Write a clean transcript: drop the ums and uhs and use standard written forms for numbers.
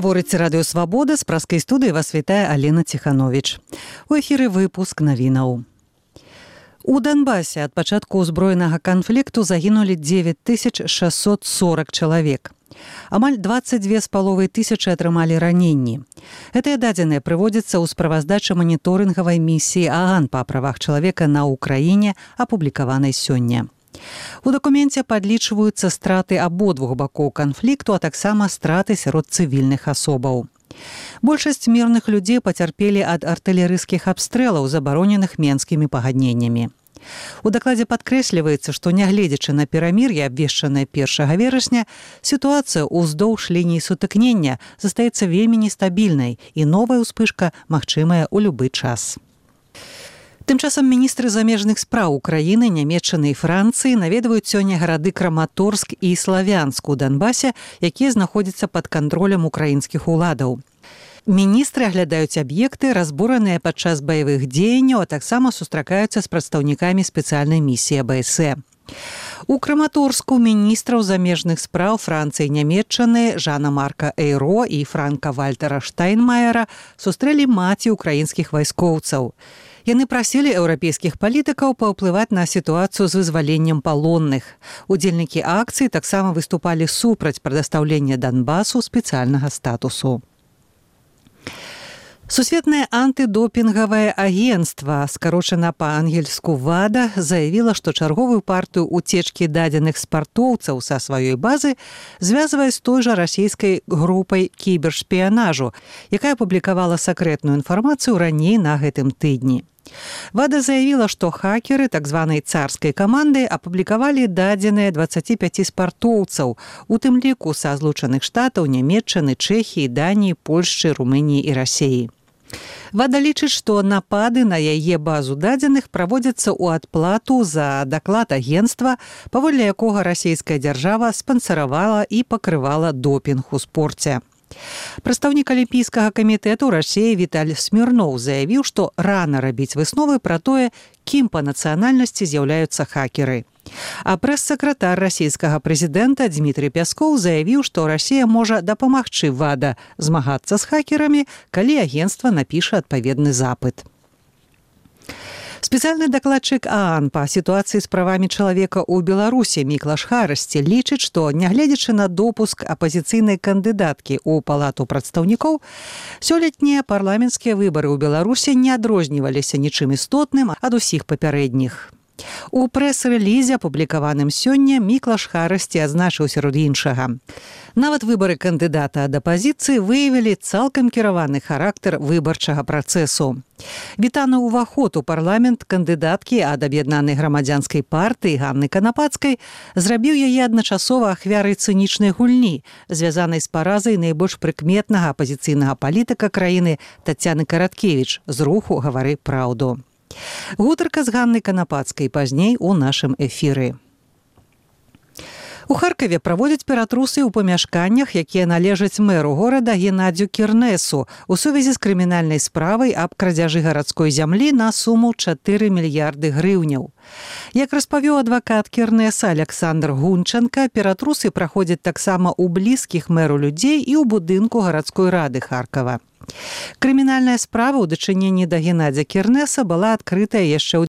Гаворыць радыё «Свабода», з праскай студыі вас вітае Алена Ціхановіч. У эфіры выпуск навінаў. У Донбасе ад пачатку ўзброенага канфлікту загінулі 9640 чалавек. Амаль 22,5 тысячы атрымалі раненні. Гэтыя дадзеныя прыводзяцца ў справаздачы маніторынгавай місіі ААН па правах чалавека на Ўкраіне, апублікаванай сёння. У дакуменце падлічваюцца страты абодвух бакоў канфлікту, а таксама страты сярод цывільных асобаў. Большасць мірных людзей пацярпелі ад артылерыйскіх абстрэлаў, забароненых менскімі пагадненнямі. У дакладзе падкрэсліваецца, што нягледзячы на перамір'е, абвешчанае 1 верасня, сітуацыя ўздоўж лініі сутыкнення застаецца вельмі нестабільнай, і новая ўспышка магчымая ў любы час. Тым часам міністры замежных спраў Украіны, Нямецчыны і Францыі наведваюць сёння гарады Краматорск і Славянск у Донбасе, якія знаходзяцца пад кантролем украінскіх уладаў. Міністры аглядаюць аб'екты, разбураныя падчас баявых дзеянняў, а таксама сустракаюцца з прадстаўнікамі спецыяльнай місіі АБСЭ. У Краматорску міністраў замежных спраў Францыі і Нямецчыны Жана-Марка Эйро і Франка-Вальтера Штайнмаера сустрэлі маці украінскіх вайскоўцаў. Яны прасілі еўрапейскіх палітыкаў паўплываць на сітуацыю з вызваленнем палонных. Удзельнікі акцыі таксама выступалі супраць прадастаўлення Донбасу спецыяльнага статусу. Сусветнае антыдопінгавае агенцтва, скарочана па-ангельску ВАДА, заявіла, што чарговую партыю уцечкі дадзеных спартоўцаў са сваёй базы звязвае з той жа расійскай групай кібершпіянажу, якая публікавала сакрэтную інфармацыю раней на гэтым тыдні. ВАДА заявіла, што хакеры так званай царскай каманды апублікавалі дадзеныя 25 спартоўцаў, у тым ліку са Злучаных Штатаў, Нямецчыны, Чэхіі, Даніі, Польшчы, Румыніі і Расіі. ВАДА лічыць, што напады на яе базу дадзеных праводзяцца ў адплату за даклад агенцтва, паводле якога расійская дзяржава спансаравала і пакрывала допінг у спорце. Прадстаўнік Алімпійскага камітэту Расіі Віталь Смірноў заявіў, што рана рабіць высновы пра тое, кім па нацыянальнасці з'яўляюцца хакеры. А прэс-сакратар расійскага прэзідэнта Дмітрый Пяскоў заявіў, што Расія можа дапамагчы ВАДА змагацца з хакерамі, калі агенцтва напіша адпаведны запыт. Спецыяльны дакладчык ААН па сітуацыі з правамі чалавека ў Беларусі Міклаш Харасці лічыць, што, нягледзячы на допуск апазіцыйнай кандыдаткі ў палату прадстаўнікоў, сёлетнія парламенцкія выбары ў Беларусі не адрозніваліся нічым істотным ад усіх папярэдніх. У прэс-рэлізе, апублікаваным сёння, Міклаш Харасці адзначыў сярод іншага. Нават выбары кандыдата ад апазіцыі выявілі цалкам кіраваны характар выбарчага працэсу. Вітаны ўваход у парламент кандыдаткі ад аб'яднанай грамадзянскай партыі Ганны Канапацкай зрабіў яе адначасова ахвярай цынічнай гульні, звязанай з паразай найбольш прыкметнага апазіцыйнага палітыка краіны Тацяны Караткевіч з руху «Гавары праўду». Гутарка з Ганнай Канапацкай пазней у нашым эфіры. У Харкаве праводзяць ператрусы ў памяшканнях, якія належаць мэру горада Геннадзю Кірнесу у сувязі з крымінальнай справай аб крадзяжы гарадской зямлі на суму 4 мільярды грыўняў. Як распавёў адвакат Кірнеса Александр Гунченка, ператрусы праходзяць таксама ў блізкіх мэру людзей і ў будынку гарадской рады Харкава. Крымінальная справа ў дачыненні да Геннадзя Кірнеса была адкрытая яшчэ ў